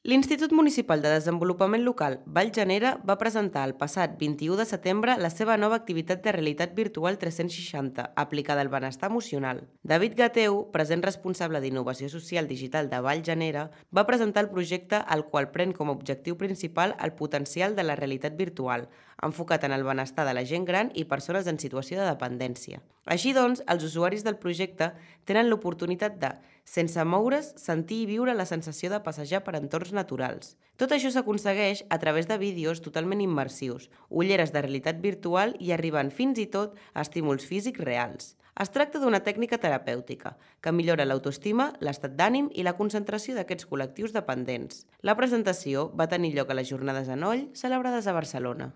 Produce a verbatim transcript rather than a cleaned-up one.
L'Institut Municipal de Desenvolupament Local Vallgenera va presentar el passat vint-i-u de setembre la seva nova activitat de realitat virtual tres-cents seixanta aplicada al benestar emocional. David Gateu, present responsable d'Innovació Social Digital de Vallgenera, va presentar el projecte el qual pren com a objectiu principal el potencial de la realitat virtual, enfocat en el benestar de la gent gran i persones en situació de dependència. Així doncs, els usuaris del projecte tenen l'oportunitat de, sense moure's, sentir i viure la sensació de passejar per entorns naturals. Tot això s'aconsegueix a través de vídeos totalment immersius, ulleres de realitat virtual i arribant fins i tot a estímuls físics reals. Es tracta d'una tècnica terapèutica que millora l'autoestima, l'estat d'ànim i la concentració d'aquests col·lectius dependents. La presentació va tenir lloc a les Jornades Anoll, celebrades a Barcelona.